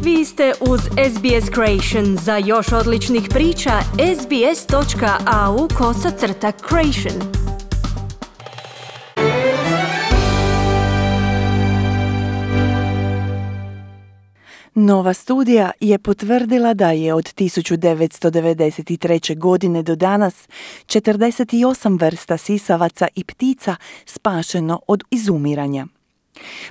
Vi ste uz SBS Creation. Za još odličnih priča, sbs.au/creation. Nova studija je potvrdila da je od 1993. godine do danas 48 vrsta sisavaca i ptica spašeno od izumiranja.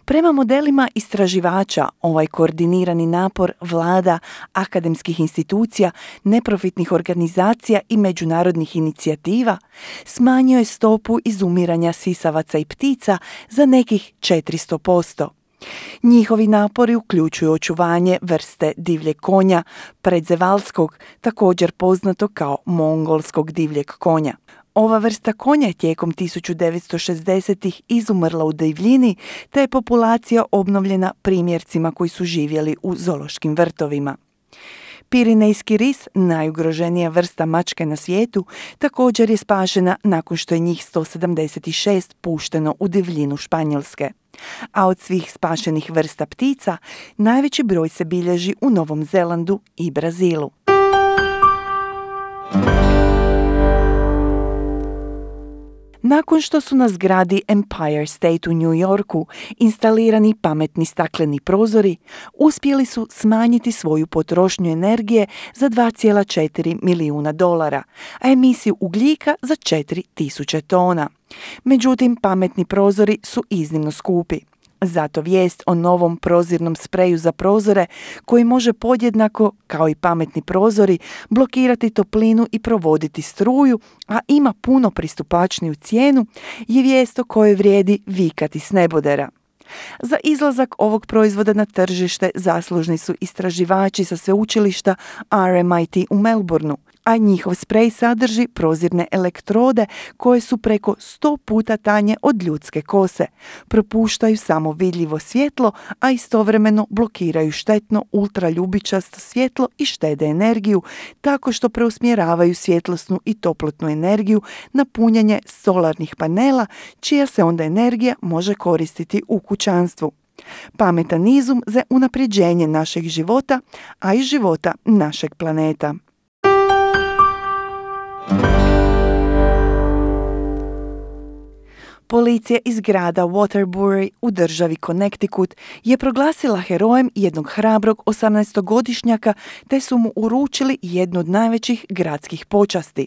Prema modelima istraživača, ovaj koordinirani napor vlada, akademskih institucija, neprofitnih organizacija i međunarodnih inicijativa smanjio je stopu izumiranja sisavaca i ptica za nekih 400%. Njihovi napori uključuju očuvanje vrste divljeg konja, predzevalskog, također poznato kao mongolskog divljeg konja. Ova vrsta konja je tijekom 1960-ih izumrla u divljini, te je populacija obnovljena primjercima koji su živjeli u zoološkim vrtovima. Pirinejski ris, najugroženija vrsta mačke na svijetu, također je spašena nakon što je njih 176 pušteno u divljinu Španjolske. A od svih spašenih vrsta ptica, najveći broj se bilježi u Novom Zelandu i Brazilu. Nakon što su na zgradi Empire State u New Yorku instalirani pametni stakleni prozori, uspjeli su smanjiti svoju potrošnju energije za $2,4 milijuna, a emisiju ugljika za 4.000 tona. Međutim, pametni prozori su iznimno skupi. Zato vijest o novom prozirnom spreju za prozore, koji može podjednako, kao i pametni prozori, blokirati toplinu i provoditi struju, a ima puno pristupačniju cijenu, je vijest o kojoj vrijedi vikati s nebodera. Za izlazak ovog proizvoda na tržište zaslužni su istraživači sa sveučilišta RMIT u Melbourneu, a njihov sprej sadrži prozirne elektrode koje su preko 100 puta tanje od ljudske kose, propuštaju samo vidljivo svjetlo, a istovremeno blokiraju štetno ultraljubičasto svjetlo i štede energiju, tako što preusmjeravaju svjetlosnu i toplotnu energiju na punjenje solarnih panela, čija se onda energija može koristiti u kućanstvu. Pametan izum za unapređenje našeg života, a i života našeg planeta. Policija iz grada Waterbury u državi Connecticut je proglasila herojem jednog hrabrog 18-godišnjaka, te su mu uručili jednu od najvećih gradskih počasti.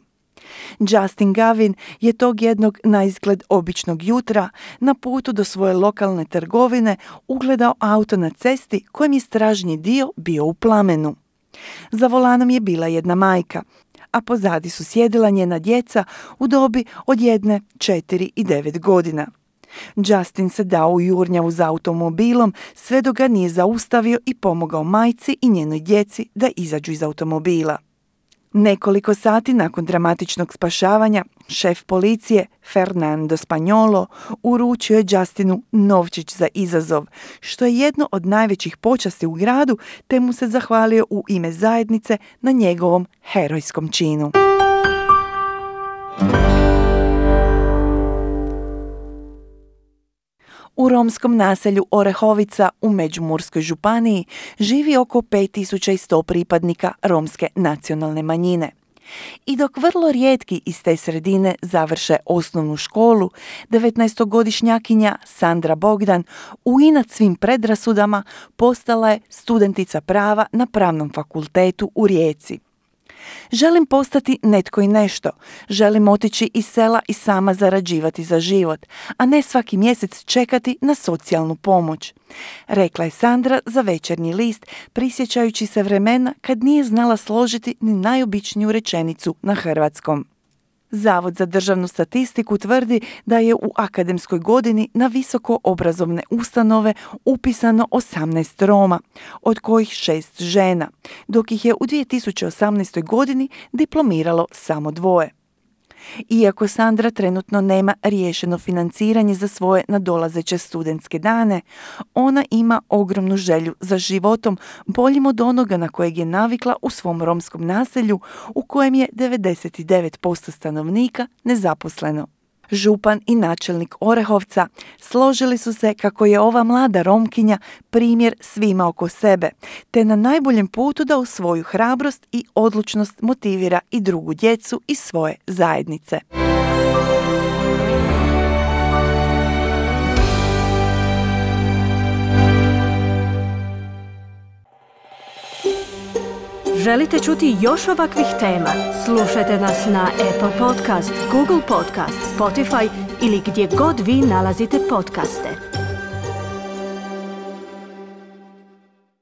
Justin Gavin je tog jednog naizgled običnog jutra na putu do svoje lokalne trgovine ugledao auto na cesti kojem je stražnji dio bio u plamenu. Za volanom je bila jedna majka, a pozadi su sjedila njena djeca u dobi od 1, 4 i 9 godina. Justin se dao u jurnjavu za automobilom sve dok ga nije zaustavio i pomogao majci i njenoj djeci da izađu iz automobila. Nekoliko sati nakon dramatičnog spašavanja, šef policije Fernando Spagnolo uručio je Justinu novčić za izazov, što je jedno od najvećih počasti u gradu, te mu se zahvalio u ime zajednice na njegovom herojskom činu. U romskom naselju Orehovica u Međimurskoj županiji živi oko 5100 pripadnika romske nacionalne manjine. I dok vrlo rijetki iz te sredine završe osnovnu školu, 19-godišnjakinja Sandra Bogdan, uinat svim predrasudama, postala je studentica prava na Pravnom fakultetu u Rijeci. Želim postati netko i nešto. Želim otići iz sela i sama zarađivati za život, a ne svaki mjesec čekati na socijalnu pomoć, rekla je Sandra za Večernji list, prisjećajući se vremena kad nije znala složiti ni najobičniju rečenicu na hrvatskom. Zavod za državnu statistiku tvrdi da je u akademskoj godini na visoko obrazovne ustanove upisano 18 Roma, od kojih 6 žena, dok ih je u 2018. godini diplomiralo samo 2. Iako Sandra trenutno nema riješeno financiranje za svoje nadolazeće studentske dane, ona ima ogromnu želju za životom boljim od onoga na kojeg je navikla u svom romskom naselju, u kojem je 99% stanovnika nezaposleno. župan i načelnik Orehovca, složili su se kako je ova mlada Romkinja primjer svima oko sebe, te na najboljem putu da u svoju hrabrost i odlučnost motivira i drugu djecu iz svoje zajednice. Želite čuti još ovakvih tema? Slušajte nas na Apple Podcast, Google Podcast, Spotify ili gdje god vi nalazite podcaste.